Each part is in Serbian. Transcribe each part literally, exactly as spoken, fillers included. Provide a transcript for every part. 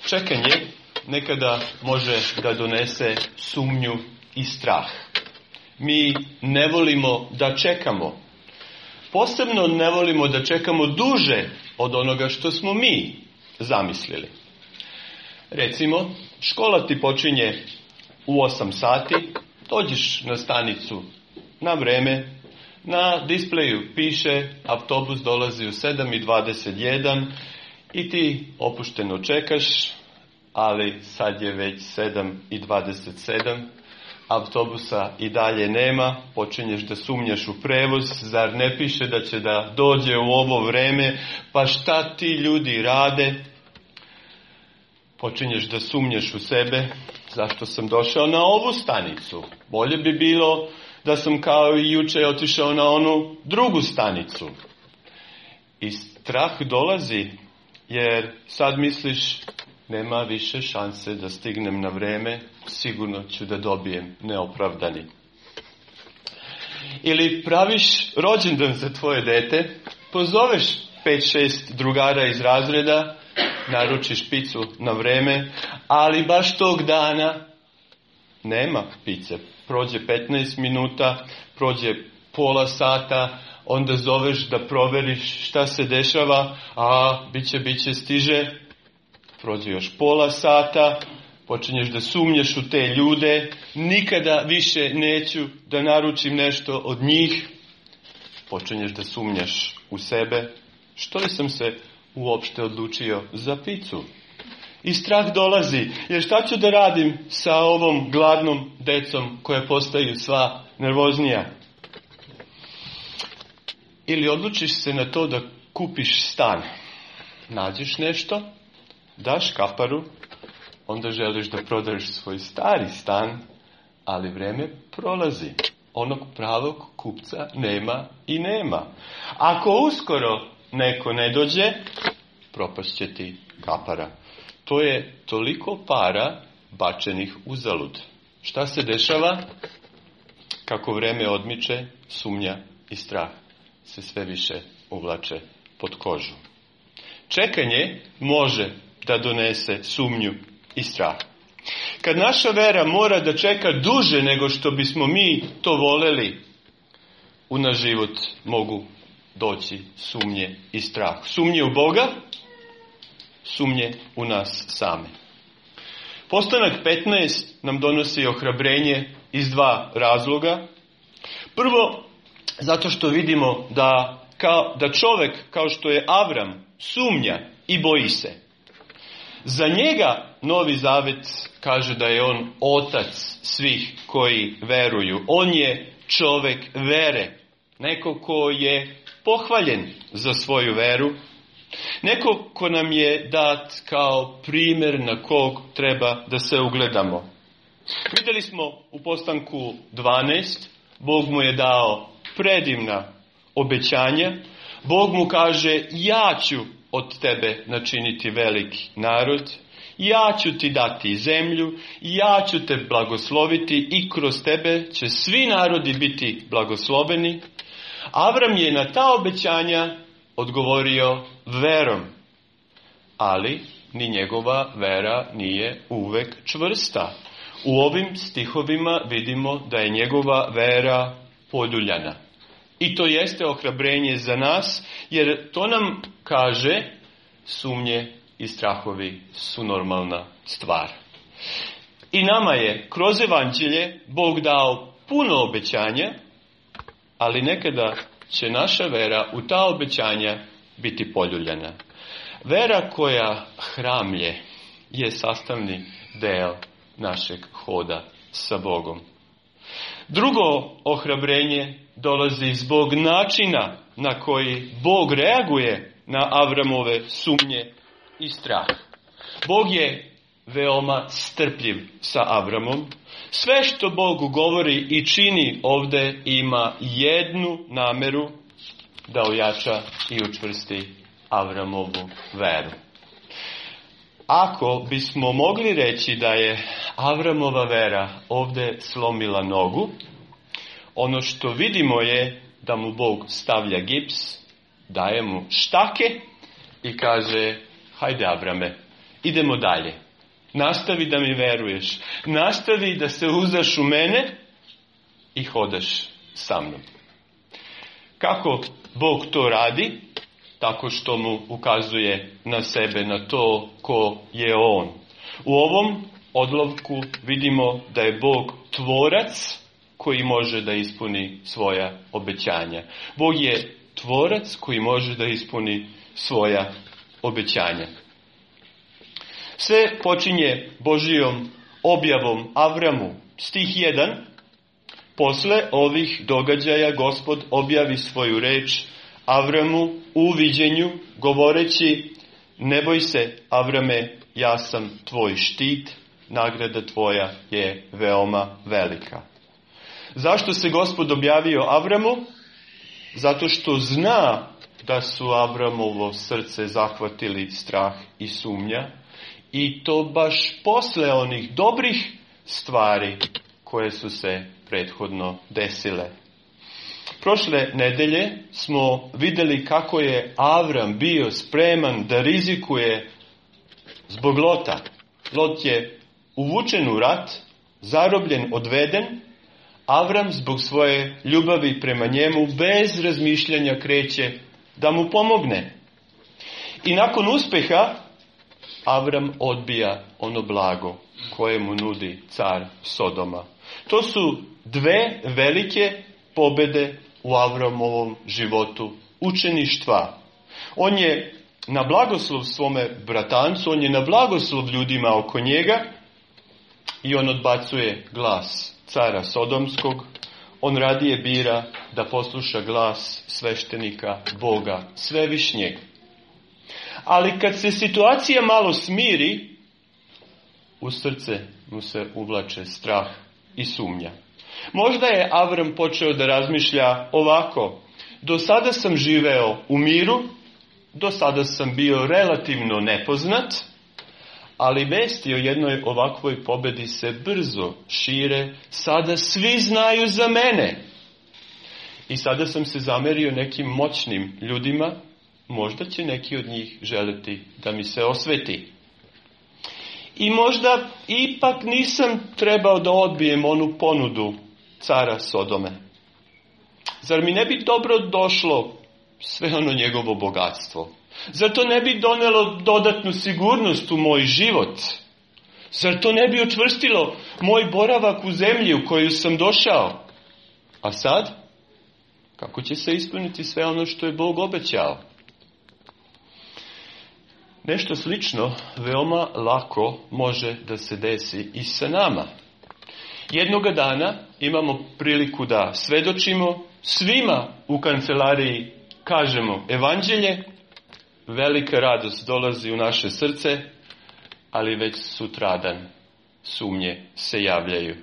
Čekanje nekada može da donese sumnju i strah. Mi ne volimo da čekamo. Posebno ne volimo da čekamo duže od onoga što smo mi zamislili. Recimo, škola ti počinje u osam sati, dođeš na stanicu na vreme, na displeju piše autobus dolazi u sedam i dvadeset jedan i ti opušteno čekaš, ali sad je već sedam i dvadeset sedam, autobusa i dalje nema, počinješ da sumnjaš u prevoz, zar ne piše da će da dođe u ovo vreme, pa šta ti ljudi rade? Počinješ da sumnjaš u sebe, zašto sam došao na ovu stanicu? Bolje bi bilo da sam kao i juče otišao na onu drugu stanicu. I strah dolazi, jer sad misliš, nema više šanse da stignem na vreme, sigurno ću da dobijem neopravdani. Ili praviš rođendan za tvoje dete, pozoveš pet šest drugara iz razreda, naručiš picu na vreme, ali baš tog dana nema pice. Prođe petnaest minuta, prođe pola sata, onda zoveš da proveriš šta se dešava, a biće, biće, stiže. Prođe još pola sata, počinješ da sumnjaš u te ljude, nikada više neću da naručim nešto od njih. Počinješ da sumnjaš u sebe, što li sam se uopšte odlučio za picu? I strah dolazi, jer šta ću da radim sa ovom gladnom decom koja postaju sva nervoznija? Ili odlučiš se na to da kupiš stan. Nađeš nešto, daš kaparu, onda želiš da prodaješ svoj stari stan, ali vreme prolazi. Onog pravog kupca nema i nema. Ako uskoro neko ne dođe, propašće ti kapara. To je toliko para bačenih uzalud. Šta se dešava? Kako vreme odmiče, sumnja i strah se sve više uvlače pod kožu. Čekanje može da donese sumnju i strah. Kad naša vera mora da čeka duže nego što bismo mi to voleli, u naš život mogu doći sumnje i strah. Sumnje u Boga, sumnje u nas same. Postanak petnaest nam donosi ohrabrenje iz dva razloga. Prvo, zato što vidimo da, kao, da čovjek kao što je Avram sumnja i boji se. Za njega Novi Zavet kaže da je on otac svih koji veruju. On je čovjek vere. Neko ko je pohvaljen za svoju veru. Neko ko nam je dat kao primjer na kog treba da se ugledamo. Vidjeli smo u postanku dvanaest, Bog mu je dao predivna obećanja. Bog mu kaže, ja ću od tebe načiniti veliki narod, ja ću ti dati zemlju, ja ću te blagosloviti i kroz tebe će svi narodi biti blagosloveni. Avram je na ta obećanja odgovorio verom, ali ni njegova vera nije uvek čvrsta. U ovim stihovima vidimo da je njegova vera poljuljana. I to jeste ohrabrenje za nas, jer to nam kaže sumnje i strahovi su normalna stvar. I nama je kroz evanđelje Bog dao puno obećanja, ali nekada će naša vera u ta obećanja biti poljuljana. Vera koja hramlje je sastavni deo našeg hoda sa Bogom. Drugo ohrabrenje dolazi zbog načina na koji Bog reaguje na Avramove sumnje i strah. Bog je veoma strpljiv sa Avramom. Sve što Bog govori i čini ovdje ima jednu nameru, da ojača i učvrsti Avramovu veru. Ako bismo mogli reći da je Avramova vera ovdje slomila nogu, ono što vidimo je da mu Bog stavlja gips, daje mu štake i kaže, hajde Avrame, idemo dalje. Nastavi da mi veruješ. Nastavi da se uzdaš u mene i hodaš sa mnom. Kako Bog to radi? Tako što mu ukazuje na sebe, na to ko je on. U ovom odlovku vidimo da je Bog tvorac koji može da ispuni svoja obećanja. Bog je tvorac koji može da ispuni svoja obećanja. Sve počinje Božijom objavom Avramu. Stih jedan. Posle ovih događaja Gospod objavi svoju reč Avramu u viđenju, govoreći: ne boj se, Avrame, ja sam tvoj štit, nagrada tvoja je veoma velika. Zašto se Gospod objavio Avramu? Zato što zna da su Avramovo srce zahvatili strah i sumnja, i to baš posle onih dobrih stvari koje su se prethodno desile. Prošle nedelje smo vidjeli kako je Avram bio spreman da rizikuje zbog Lota. Lot je uvučen u rat, zarobljen, odveden. Avram zbog svoje ljubavi prema njemu bez razmišljanja kreće da mu pomogne. I nakon uspeha Avram odbija ono blago koje mu nudi car Sodoma. To su dve velike pobjede u Avramovom životu učeništva. On je na blagoslov svome bratancu, on je na blagoslov ljudima oko njega i on odbacuje glas cara Sodomskog. On radije bira da posluša glas sveštenika Boga Svevišnjeg. Ali kad se situacija malo smiri, u srce mu se uvlače strah i sumnja. Možda je Avram počeo da razmišlja ovako: do sada sam živeo u miru, do sada sam bio relativno nepoznat, ali vesti o jednoj ovakvoj pobedi se brzo šire, sada svi znaju za mene. I sada sam se zamerio nekim moćnim ljudima, možda će neki od njih želiti da mi se osveti. I možda ipak nisam trebao da odbijem onu ponudu cara Sodome. Zar mi ne bi dobro došlo sve ono njegovo bogatstvo? Zar to ne bi donelo dodatnu sigurnost u moj život? Zar to ne bi učvrstilo moj boravak u zemlji u koju sam došao? A sad? Kako će se ispuniti sve ono što je Bog obećao? Nešto slično veoma lako može da se desi i sa nama. Jednoga dana imamo priliku da svedočimo, svima u kancelariji kažemo evanđelje, velika radost dolazi u naše srce, ali već sutradan sumnje se javljaju.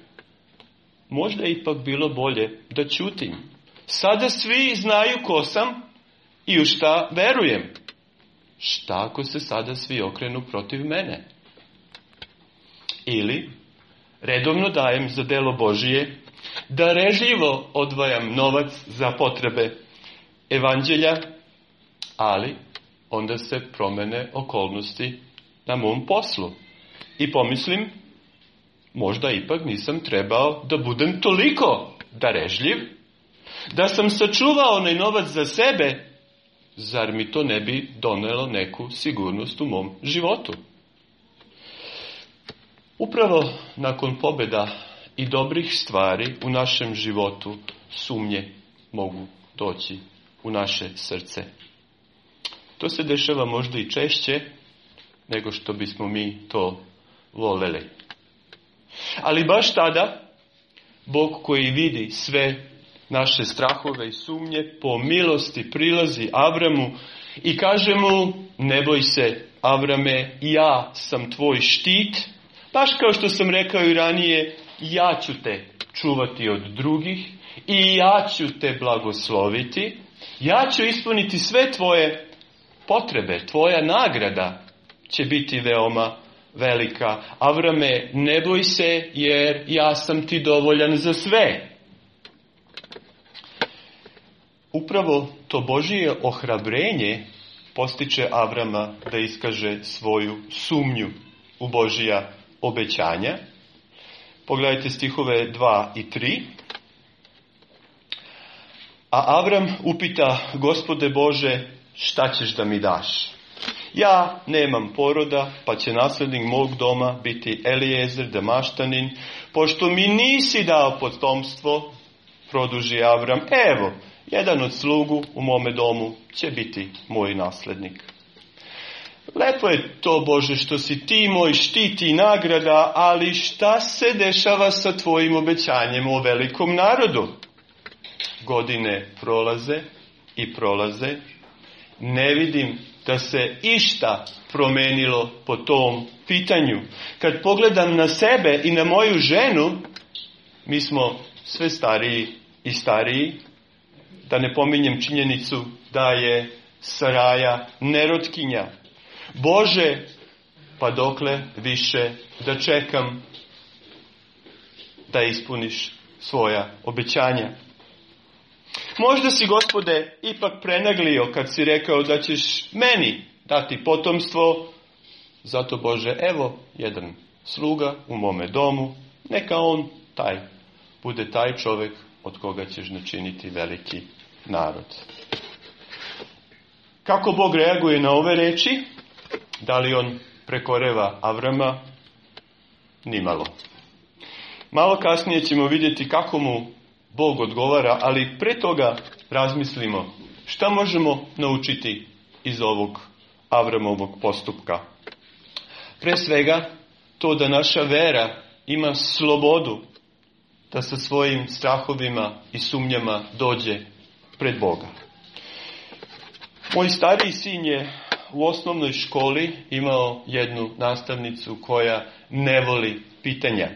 Možda je ipak bilo bolje da ćutim. Sada svi znaju ko sam i u šta verujem. Šta ako se sada svi okrenu protiv mene? Ili redovno dajem za delo Božije, darežljivo odvajam novac za potrebe evanđelja, ali onda se promene okolnosti na mom poslu. I pomislim, možda ipak nisam trebao da budem toliko darežljiv, da sam sačuvao onaj novac za sebe, zar mi to ne bi donelo neku sigurnost u mom životu? Upravo nakon pobjeda i dobrih stvari u našem životu sumnje mogu doći u naše srce. To se dešava možda i češće nego što bismo mi to voleli. Ali baš tada Bog koji vidi sve naše strahove i sumnje po milosti prilazi Avramu i kaže mu: ne boj se, Avrame, ja sam tvoj štit. Baš kao što sam rekao i ranije, ja ću te čuvati od drugih i ja ću te blagosloviti. Ja ću ispuniti sve tvoje potrebe, tvoja nagrada će biti veoma velika. Avrame, ne boj se, jer ja sam ti dovoljan za sve. Upravo to Božije ohrabrenje postiče Avrama da iskaže svoju sumnju u Božija obećanja. Pogledajte stihove dva i tri. A Avram upita: Gospode Bože, šta ćeš da mi daš? Ja nemam poroda, pa će naslednik mog doma biti Elijezer Damaštanin. Pošto mi nisi dao potomstvo, produži Avram, evo, jedan od slugu u mome domu će biti moj naslednik. Lepo je to, Bože, što si ti moj štit i nagrada, ali šta se dešava sa tvojim obećanjem o velikom narodu? Godine prolaze i prolaze. Ne vidim da se išta promenilo po tom pitanju. Kad pogledam na sebe i na moju ženu, mi smo sve stariji i stariji. Da ne pominjem činjenicu da je Saraja nerotkinja. Bože, pa dokle više da čekam da ispuniš svoja obećanja? Možda si, Gospode, ipak prenaglio kad si rekao da ćeš meni dati potomstvo. Zato, Bože, evo jedan sluga u mome domu. Neka on taj bude taj čovjek od koga ćeš načiniti veliki narod. Kako Bog reaguje na ove reči? Da li on prekoreva Avrama? Nimalo. Malo kasnije ćemo vidjeti kako mu Bog odgovara, ali pre toga razmislimo šta možemo naučiti iz ovog Avramovog postupka. Pre svega, to da naša vera ima slobodu da sa svojim strahovima i sumnjama dođe pred Boga. Moj stariji sin je u osnovnoj školi imao jednu nastavnicu koja ne voli pitanja.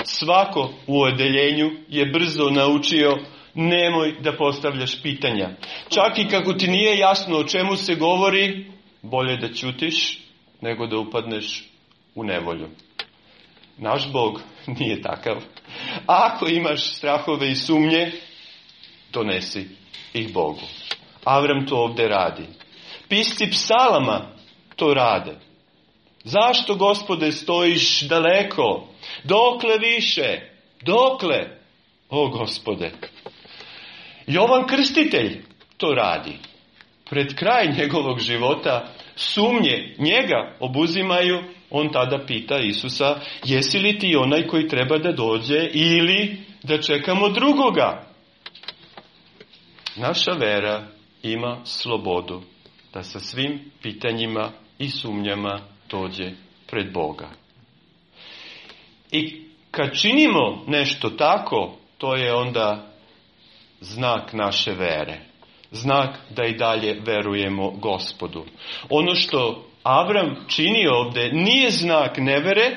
Svako u odeljenju je brzo naučio: nemoj da postavljaš pitanja. Čak i kako ti nije jasno o čemu se govori, bolje da ćutiš nego da upadneš u nevolju. Naš Bog nije takav. Ako imaš strahove i sumnje, donesi ih Bogu. Avram to ovdje radi. Pisci psalama to rade. Zašto, Gospode, stojiš daleko? Dokle više? Dokle? O, Gospode. Jovan Krstitelj to radi. Pred kraj njegovog života sumnje njega obuzimaju. On tada pita Isusa: jesi li ti onaj koji treba da dođe ili da čekamo drugoga? Naša vera ima slobodu da sa svim pitanjima i sumnjama dođe pred Boga. I kad činimo nešto tako, to je onda znak naše vere. Znak da i dalje verujemo Gospodu. Ono što Avram čini ovdje nije znak nevere,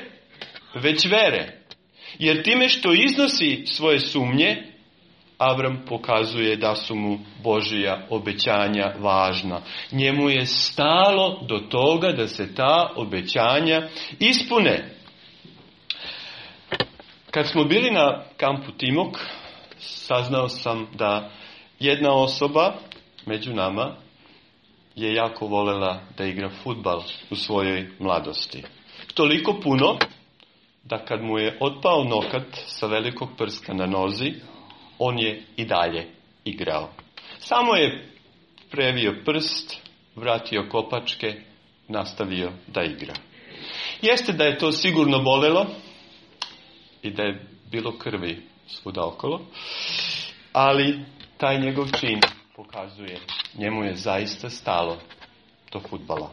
već vere. Jer time što iznosi svoje sumnje, Avram pokazuje da su mu Božja obećanja važna. Njemu je stalo do toga da se ta obećanja ispune. Kad smo bili na kampu Timok, saznao sam da jedna osoba među nama je jako volela da igra fudbal u svojoj mladosti. Toliko puno da kad mu je otpao nokat sa velikog prska na nozi, on je i dalje igrao. Samo je previo prst, vratio kopačke, nastavio da igra. Jeste da je to sigurno bolelo i da je bilo krvi svuda okolo, ali taj njegov čin pokazuje, njemu je zaista stalo do fudbala.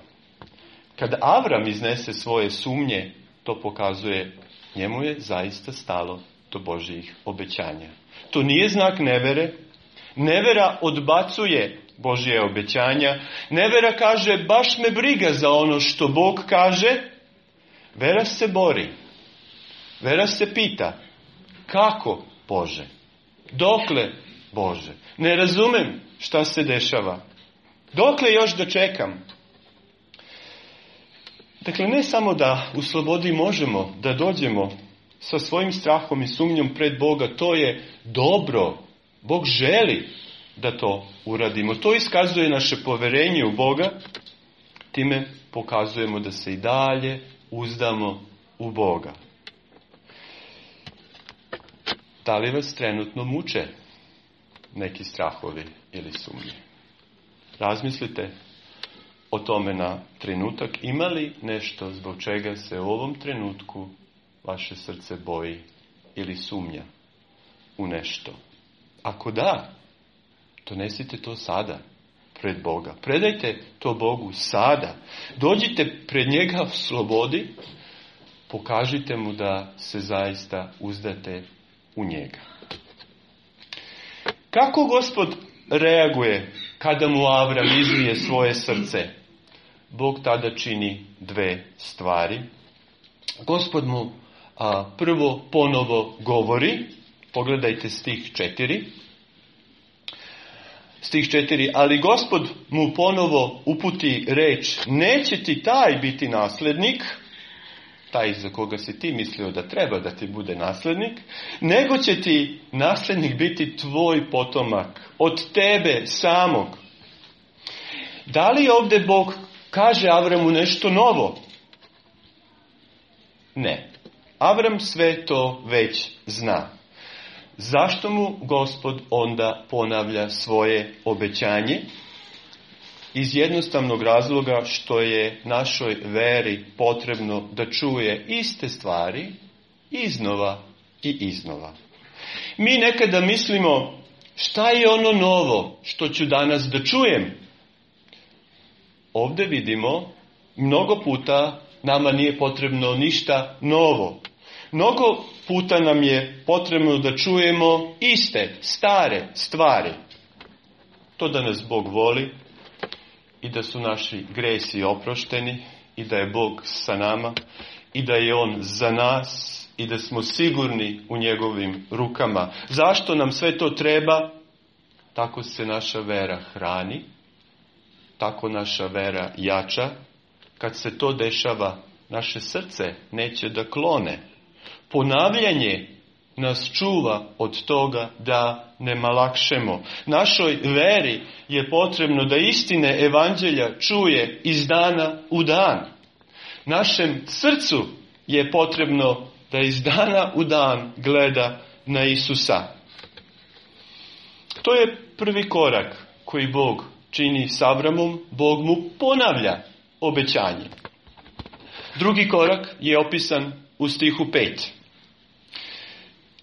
Kad Avram iznese svoje sumnje, to pokazuje, njemu je zaista stalo do Božjih obećanja. To nije znak nevere. Nevera odbacuje Božje obećanja. Nevera kaže: baš me briga za ono što Bog kaže. Vera se bori. Vera se pita: kako, Bože? Dokle, Bože? Ne razumem šta se dešava. Dokle još da čekam? Dakle, ne samo da u slobodi možemo da dođemo sa svojim strahom i sumnjom pred Boga, to je dobro. Bog želi da to uradimo. To iskazuje naše poverenje u Boga, time pokazujemo da se i dalje uzdamo u Boga. Da li vas trenutno muče neki strahovi ili sumnje? Razmislite o tome na trenutak. Ima li nešto zbog čega se u ovom trenutku vaše srce boji ili sumnja u nešto? Ako da, donesite to sada pred Boga. Predajte to Bogu sada. Dođite pred njega u slobodi. Pokažite mu da se zaista uzdate u njega. Kako Gospod reaguje kada mu Avram izlije svoje srce? Bog tada čini dve stvari. Gospod mu a, prvo ponovo govori. Pogledajte stih četiri. Stih četiri. Ali Gospod mu ponovo uputi reč: neće ti taj biti naslednik, taj za koga si ti mislio da treba da ti bude naslednik, nego će ti naslednik biti tvoj potomak, od tebe samog. Da li ovdje Bog kaže Avramu nešto novo? Ne. Avram sve to već zna. Zašto mu Gospod onda ponavlja svoje obećanje? Iz jednostavnog razloga što je našoj veri potrebno da čuje iste stvari iznova i iznova. Mi nekada mislimo, šta je ono novo što ću danas da čujem? Ovdje vidimo, mnogo puta nama nije potrebno ništa novo. Mnogo puta nam je potrebno da čujemo iste, stare stvari. To da nas Bog voli i da su naši gresi oprošteni i da je Bog sa nama i da je On za nas i da smo sigurni u njegovim rukama. Zašto nam sve to treba? Tako se naša vera hrani, tako naša vera jača. Kad se to dešava, naše srce neće da klone. Ponavljanje nas čuva od toga da ne malakšemo. Našoj veri je potrebno da istine evanđelja čuje iz dana u dan. Našem srcu je potrebno da iz dana u dan gleda na Isusa. To je prvi korak koji Bog čini s Avramom. Bog mu ponavlja obećanje. Drugi korak je opisan u stihu pet.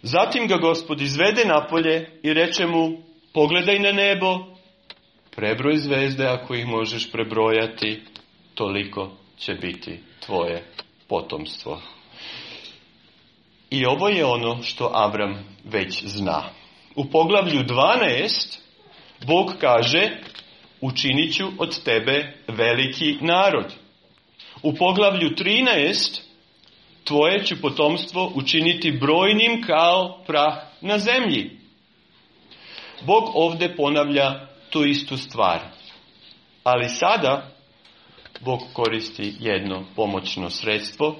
Zatim ga Gospod izvede napolje i reče mu: pogledaj na nebo, prebroj zvezde ako ih možeš prebrojati, toliko će biti tvoje potomstvo. I ovo je ono što Avram već zna. U poglavlju dvanaest Bog kaže: učinit ću od tebe veliki narod. U poglavlju trinaest tvoje ću potomstvo učiniti brojnim kao prah na zemlji. Bog ovdje ponavlja tu istu stvar. Ali sada Bog koristi jedno pomoćno sredstvo.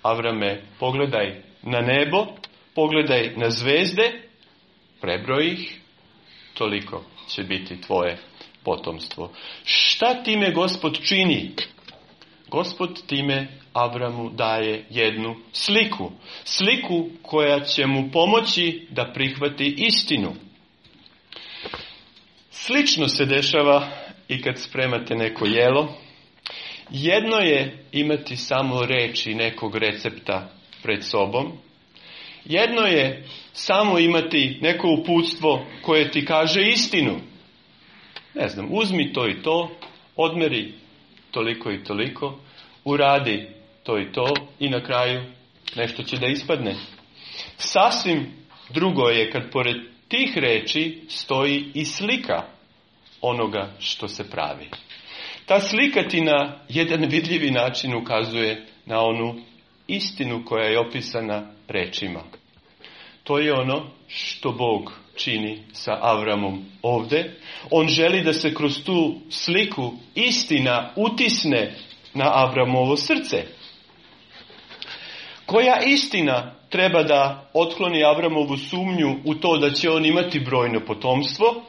Avrame, pogledaj na nebo, pogledaj na zvezde, prebroj ih, toliko će biti tvoje potomstvo. Šta time Gospod čini? Gospod time Avramu daje jednu sliku. Sliku koja će mu pomoći da prihvati istinu. Slično se dešava i kad spremate neko jelo. Jedno je imati samo reči nekog recepta pred sobom. Jedno je samo imati neko uputstvo koje ti kaže istinu. Ne znam, uzmi to i to, odmeri toliko i toliko, uradi to i to i na kraju nešto će da ispadne. Sasvim drugo je kad pored tih reči stoji i slika onoga što se pravi. Ta slika ti na jedan vidljivi način ukazuje na onu istinu koja je opisana rečima. To je ono što Bog čini sa Avramom ovdje. On želi da se kroz tu sliku istina utisne na Avramovo srce. Koja istina treba da otkloni Avramovu sumnju u to da će on imati brojno potomstvo?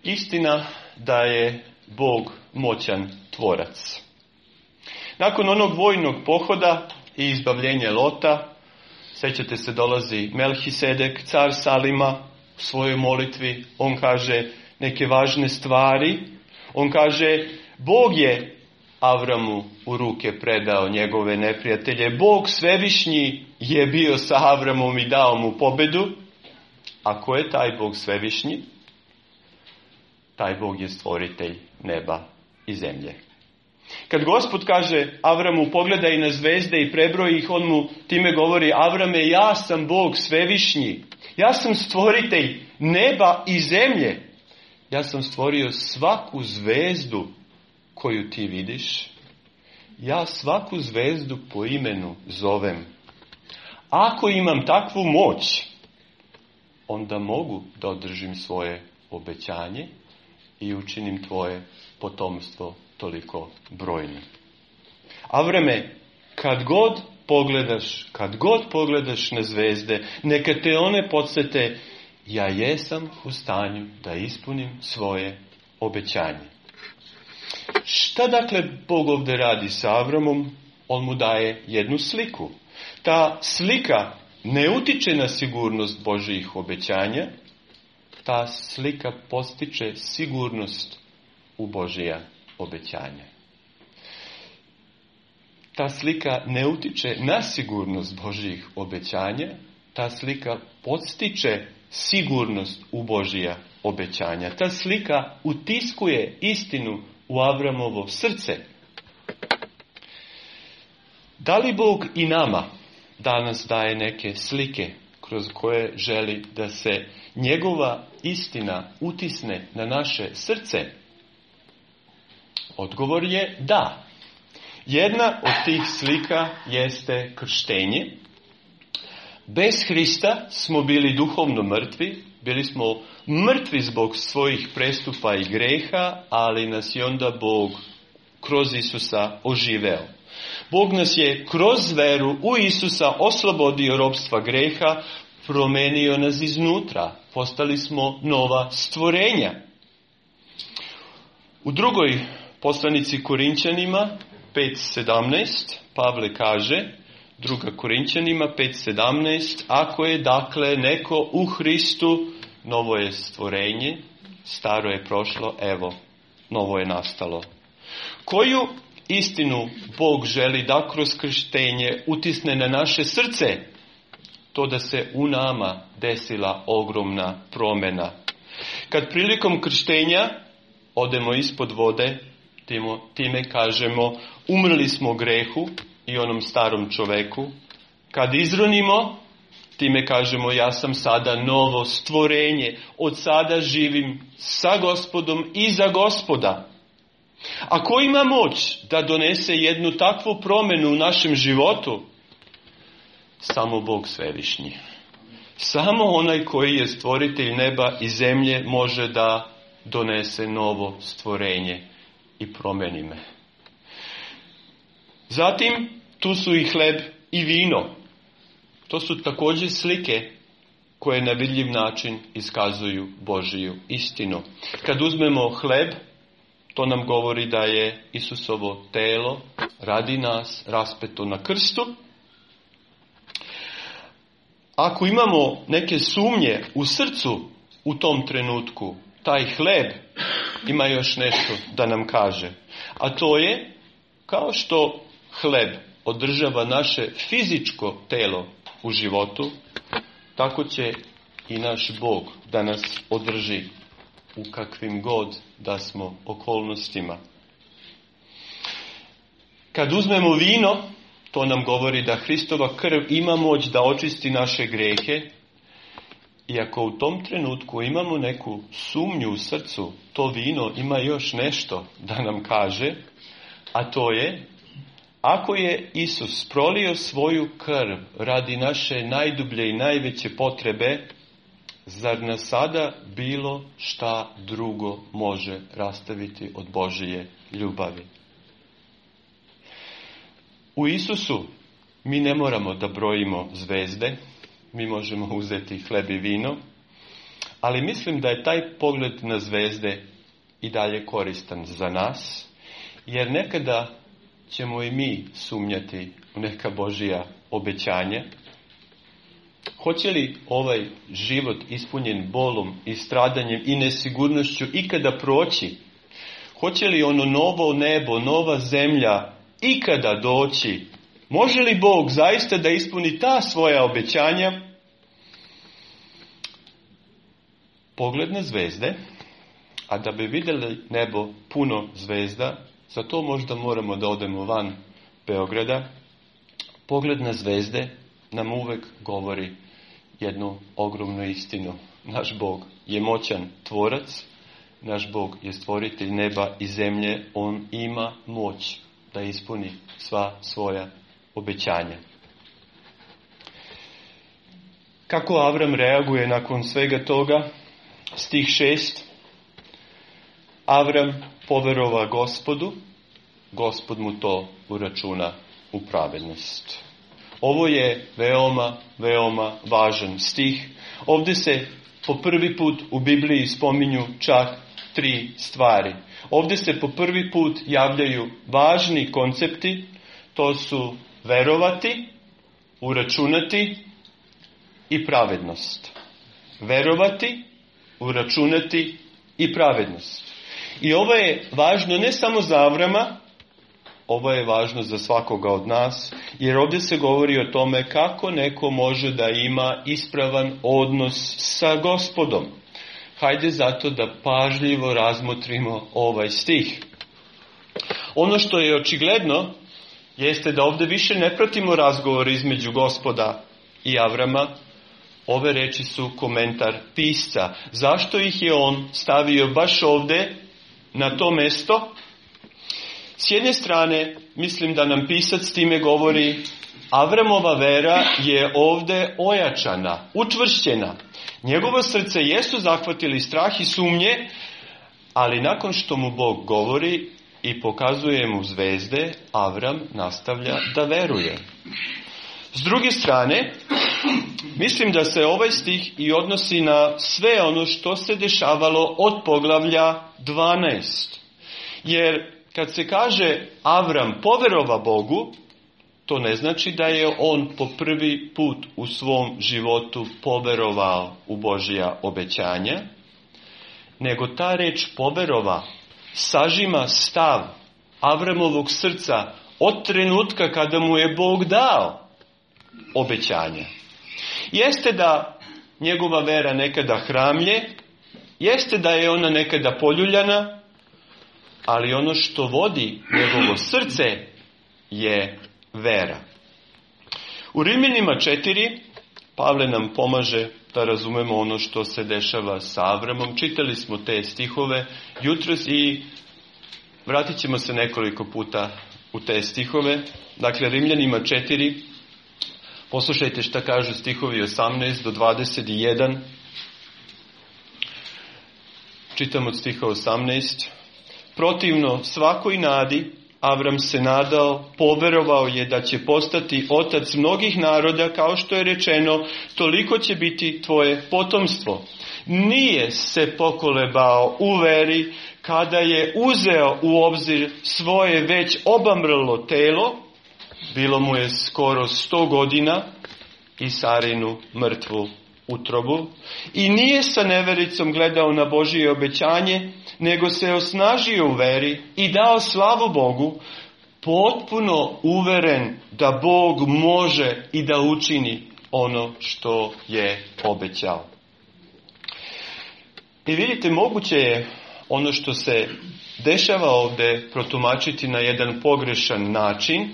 istina da je Bog moćan tvorac. Nakon onog vojnog pohoda i izbavljenja Lota, sjećate se, dolazi Melhisedek, car Salima, u svojoj molitvi. On kaže neke važne stvari. On kaže, Bog je Avramu u ruke predao njegove neprijatelje. Bog svevišnji je bio sa Avramom i dao mu pobedu. A ko je taj Bog svevišnji? Taj Bog je stvoritelj neba i zemlje. Kad Gospod kaže Avramu, pogledaj na zvezde i prebroji ih, on mu time govori, Avrame, ja sam Bog svevišnji. Ja sam stvoritelj neba i zemlje. Ja sam stvorio svaku zvezdu koju ti vidiš. Ja svaku zvezdu po imenu zovem. Ako imam takvu moć, onda mogu da održim svoje obećanje i učinim tvoje potomstvo toliko brojno. Avrame, kad god pogledaš, kad god pogledaš na zvezde, neka te one podsjete, ja jesam u stanju da ispunim svoje obećanje. Šta dakle Bog ovdje radi sa Avramom? On mu daje jednu sliku. Ta slika ne utiče na sigurnost Božjih obećanja, ta slika postiče sigurnost u Božja obećanja. Ta slika ne utiče na sigurnost Božjih obećanja, ta slika podstiče sigurnost u Božja obećanja. Ta slika utiskuje istinu u Avramovo srce. Da li Bog i nama danas daje neke slike kroz koje želi da se njegova istina utisne na naše srce? Odgovor je da. Jedna od tih slika jeste krštenje. Bez Hrista smo bili duhovno mrtvi, bili smo mrtvi zbog svojih prestupa i greha, ali nas je onda Bog kroz Isusa oživeo. Bog nas je kroz veru u Isusa oslobodio ropstva greha, promenio nas iznutra, postali smo nova stvorenja. U drugoj poslanici Korinćanima pet sedamnaest Pavle kaže, druga Korinćanima pet sedamnaest, ako je dakle neko u Hristu, novo je stvorenje, staro je prošlo, evo, novo je nastalo. Koju istinu Bog želi da kroz krštenje utisne na naše srce? To da se u nama desila ogromna promjena. Kad prilikom krštenja odemo ispod vode, time kažemo umrli smo grehu i onom starom čoveku. Kad izronimo, time kažemo ja sam sada novo stvorenje. Od sada živim sa Gospodom i za Gospoda. A ko ima moć da donese jednu takvu promjenu u našem životu? Samo Bog svevišnji. Samo onaj koji je stvoritelj neba i zemlje može da donese novo stvorenje i promeni me. Zatim, tu su i hleb i vino. To su također slike koje na vidljiv način iskazuju Božiju istinu. Kad uzmemo hleb, to nam govori da je Isusovo telo radi nas raspeto na krstu. Ako imamo neke sumnje u srcu u tom trenutku, taj hleb ima još nešto da nam kaže. A to je, kao što hleb održava naše fizičko telo u životu, tako će i naš Bog da nas održi u kakvim god da smo okolnostima. Kad uzmemo vino, to nam govori da Hristova krv ima moć da očisti naše grehe. I ako u tom trenutku imamo neku sumnju u srcu, to vino ima još nešto da nam kaže, a to je, ako je Isus prolio svoju krv radi naše najdublje i najveće potrebe, zar nas sada bilo šta drugo može rastaviti od Božije ljubavi? U Isusu mi ne moramo da brojimo zvezde, mi možemo uzeti hleb i vino, Ali mislim da je taj pogled na zvezde i dalje koristan za nas, jer nekada ćemo i mi sumnjati u neka Božja obećanja. Hoće li ovaj život ispunjen bolom i stradanjem i nesigurnošću ikada proći? Hoće li ono novo nebo, nova zemlja ikada doći? Može li Bog zaista da ispuni ta svoja obećanja? Pogled na zvezde, a da bi vidjeli nebo puno zvezda, za to možda moramo da odemo van Beograda. Pogled na zvezde nam uvek govori jednu ogromnu istinu. Naš Bog je moćan tvorac, naš Bog je stvoritelj neba i zemlje, on ima moć da ispuni sva svoja obećanja. Kako Avram reaguje nakon svega toga? Stih šest. Avram poverova Gospodu, Gospod mu to uračuna u pravednost. Ovo je veoma, veoma važan stih. Ovdje se po prvi put u Bibliji spominju čak tri stvari. Ovdje se po prvi put javljaju važni koncepti, to su verovati, uračunati i pravednost. Verovati, uračunati i pravednost. I ovo je važno ne samo za Avrama, ovo je važno za svakoga od nas, jer ovdje se govori o tome kako neko može da ima ispravan odnos sa Gospodom. Hajde zato da pažljivo razmotrimo ovaj stih. Ono što je očigledno jeste da ovdje više ne pratimo razgovor između Gospoda i Avrama. Ove reči su komentar pisca. Zašto ih je on stavio baš ovdje na to mesto? S jedne strane, mislim da nam pisac time govori, Avramova vera je ovdje ojačana, učvršćena. Njegovo srce jesu zahvatili strah i sumnje, ali nakon što mu Bog govori i pokazuje mu zvezde, Avram nastavlja da veruje. S druge strane, mislim da se ovaj stih i odnosi na sve ono što se dešavalo od poglavlja dvanaest. Jer kad se kaže Avram poverova Bogu, to ne znači da je on po prvi put u svom životu poverovao u Božja obećanja, nego ta reč poverova sažima stav Avramovog srca od trenutka kada mu je Bog dao obećanje. Jeste da njegova vera nekada hramlje, jeste da je ona nekada poljuljana, ali ono što vodi njegovo srce je vera. U Rimljanima četiri Pavle nam pomaže da razumemo ono što se dešava sa Avramom. Čitali smo te stihove jutros i vratit ćemo se nekoliko puta u te stihove. Dakle, Rimljanima četiri, poslušajte šta kažu stihovi osamnaest do dvadeset jedan. Čitam od stiha osamnaest. Protivno svakoj nadi, Avram se nadao, poverovao je da će postati otac mnogih naroda, kao što je rečeno, toliko će biti tvoje potomstvo. Nije se pokolebao u veri kada je uzeo u obzir svoje već obamrlo telo, bilo mu je skoro sto godina, i Sarinu mrtvu utrobu, i nije sa nevericom gledao na Božje obećanje, nego se osnažio u veri i dao slavu Bogu, potpuno uveren da Bog može i da učini ono što je obećao. I vidite, moguće je ono što se dešava ovdje protumačiti na jedan pogrešan način.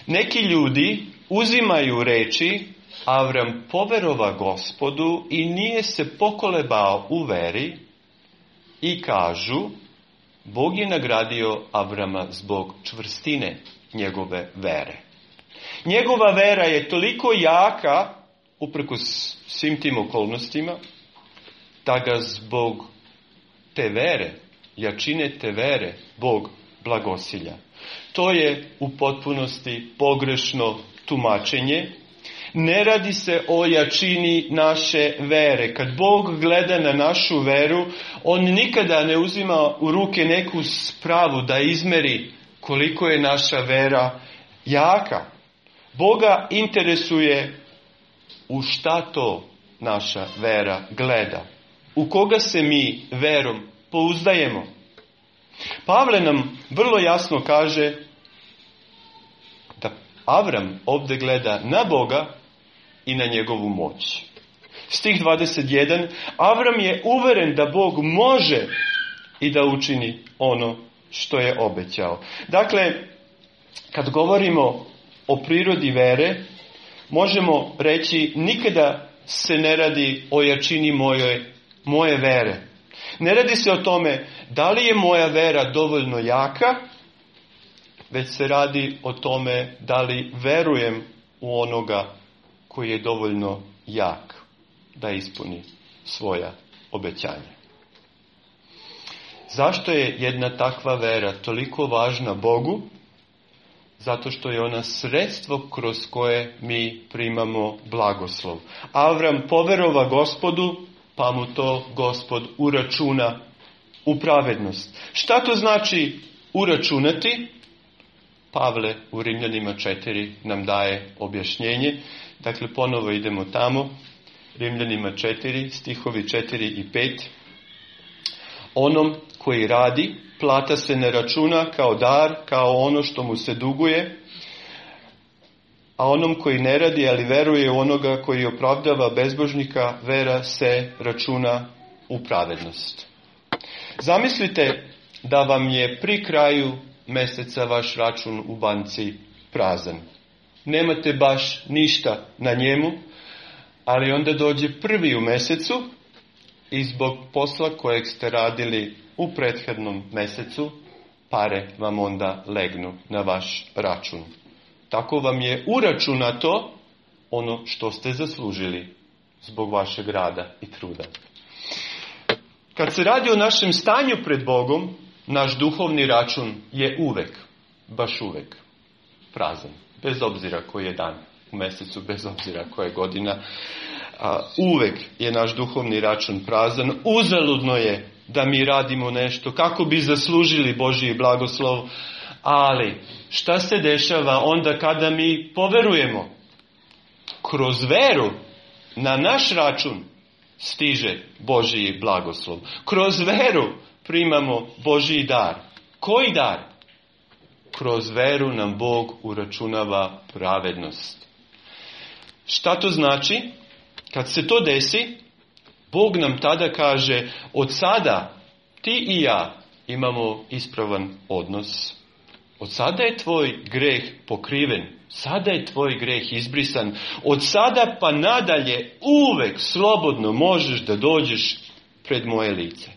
Neki ljudi uzimaju reči Avram poverova Gospodu i nije se pokolebao u veri i kažu Bog je nagradio Avrama zbog čvrstine njegove vere. Njegova vera je toliko jaka, uprkos svim tim okolnostima, da ga zbog te vere, jačine te vere, Bog blagosilja. To je u potpunosti pogrešno tumačenje. Ne radi se o jačini naše vere. Kad Bog gleda na našu veru, on nikada ne uzima u ruke neku spravu da izmeri koliko je naša vera jaka. Boga interesuje u šta to naša vera gleda. U koga se mi verom pouzdajemo. Pavle nam vrlo jasno kaže da Avram ovdje gleda na Boga i na njegovu moć. Stih dvadeset jedan. Avram je uveren da Bog može i da učini ono što je obećao. Dakle, kad govorimo o prirodi vere, možemo reći nikada se ne radi o jačini moje, moje vere. Ne radi se o tome da li je moja vera dovoljno jaka, već se radi o tome da li verujem u onoga koji je dovoljno jak da ispuni svoja obećanja. Zašto je jedna takva vera toliko važna Bogu? Zato što je ona sredstvo kroz koje mi primamo blagoslov. Avram poverova Gospodu, pa mu to Gospod uračuna u pravednost. Šta to znači uračunati? Pavle u Rimljanima četiri nam daje objašnjenje. Dakle, ponovo idemo tamo. Rimljanima četiri, stihovi četiri i pet. Onom koji radi, plata se ne računa kao dar, kao ono što mu se duguje, a onom koji ne radi, ali veruje u onoga koji opravdava bezbožnika, vera se računa u pravednost. Zamislite da vam je pri kraju mjeseca vaš račun u banci prazan. Nemate baš ništa na njemu, ali onda dođe prvi u mjesecu i zbog posla kojeg ste radili u prethodnom mjesecu, pare vam onda legnu na vaš račun. Tako vam je uračunato ono što ste zaslužili zbog vašeg rada i truda. Kad se radi o našem stanju pred Bogom, naš duhovni račun je uvek, baš uvek, prazan. Bez obzira koji je dan u mjesecu, bez obzira koja je godina, a, uvek je naš duhovni račun prazan. Uzaludno je da mi radimo nešto kako bi zaslužili Božji blagoslov, ali šta se dešava onda kada mi poverujemo? Kroz veru na naš račun stiže Božji blagoslov. Kroz veru primamo Božji dar. Koji dar? Kroz veru nam Bog uračunava pravednost. Šta to znači? Kad se to desi, Bog nam tada kaže, od sada ti i ja imamo ispravan odnos. Od sada je tvoj greh pokriven. Sada je tvoj greh izbrisan. Od sada pa nadalje uvek slobodno možeš da dođeš pred moje lice.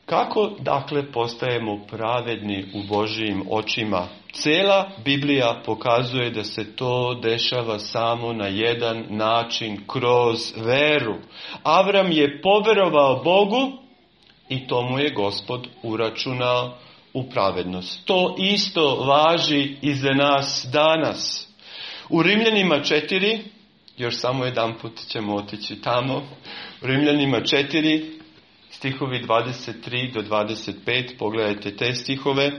Kako, dakle, postajemo pravedni u Božijim očima? Cijela Biblija pokazuje da se to dešava samo na jedan način, kroz veru. Avram je poverovao Bogu i to mu je Gospod uračunao u pravednost. To isto važi i za nas danas. U Rimljanima četiri, još samo jedan put ćemo otići tamo, u Rimljanima četiri, stihovi dvadeset tri do dvadeset pet, pogledajte te stihove,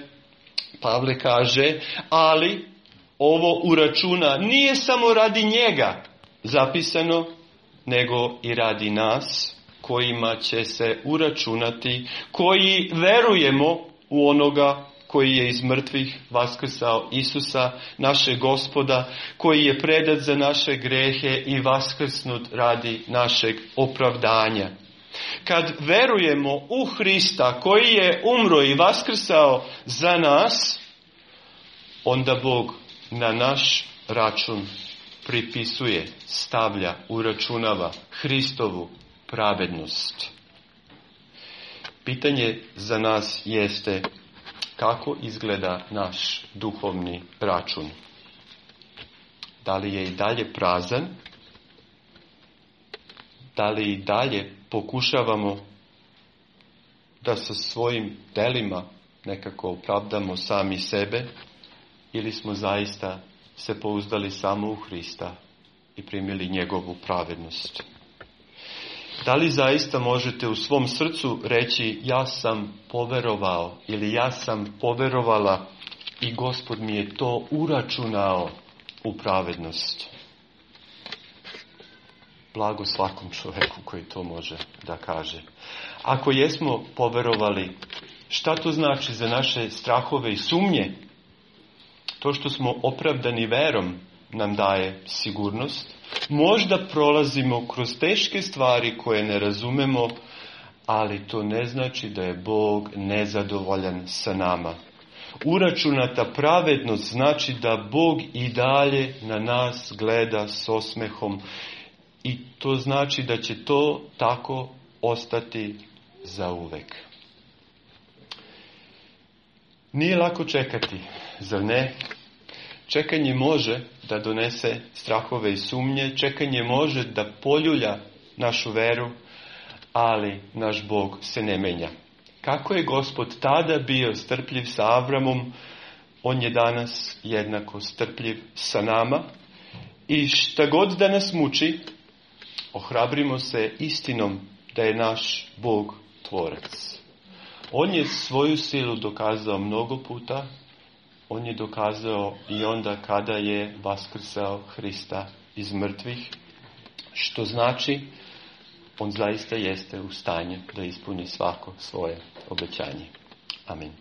Pavle kaže, ali ovo uračuna nije samo radi njega zapisano, nego i radi nas, kojima će se uračunati, koji verujemo u onoga koji je iz mrtvih vaskrsao, Isusa, našeg Gospoda, koji je predat za naše grehe i vaskrsnut radi našeg opravdanja. Kad verujemo u Hrista koji je umro i vaskrsao za nas, onda Bog na naš račun pripisuje, stavlja, uračunava Hristovu pravednost. Pitanje za nas jeste kako izgleda naš duhovni račun. Da li je i dalje prazan? Da li i dalje pokušavamo da sa svojim delima nekako opravdamo sami sebe, ili smo zaista se pouzdali samo u Hrista i primili njegovu pravednost. Da li zaista možete u svom srcu reći ja sam poverovao ili ja sam poverovala i Gospod mi je to uračunao u pravednost? Blago svakom čovjeku koji to može da kaže. Ako jesmo poverovali, šta to znači za naše strahove i sumnje? To što smo opravdani verom nam daje sigurnost. Možda prolazimo kroz teške stvari koje ne razumemo, ali to ne znači da je Bog nezadovoljan sa nama. Uračunata pravednost znači da Bog i dalje na nas gleda s osmehom i to znači da će to tako ostati zauvek. Nije lako čekati, zar ne? Čekanje može da donese strahove i sumnje, čekanje može da poljulja našu veru, ali naš Bog se ne menja. Kako je Gospod tada bio strpljiv sa Avramom, on je danas jednako strpljiv sa nama. I šta god da nas muči, ohrabrimo se istinom da je naš Bog tvorac. On je svoju silu dokazao mnogo puta, on je dokazao i onda kada je vaskrsao Hrista iz mrtvih, što znači on zaista jeste u stanju da ispuni svako svoje obećanje. Amin.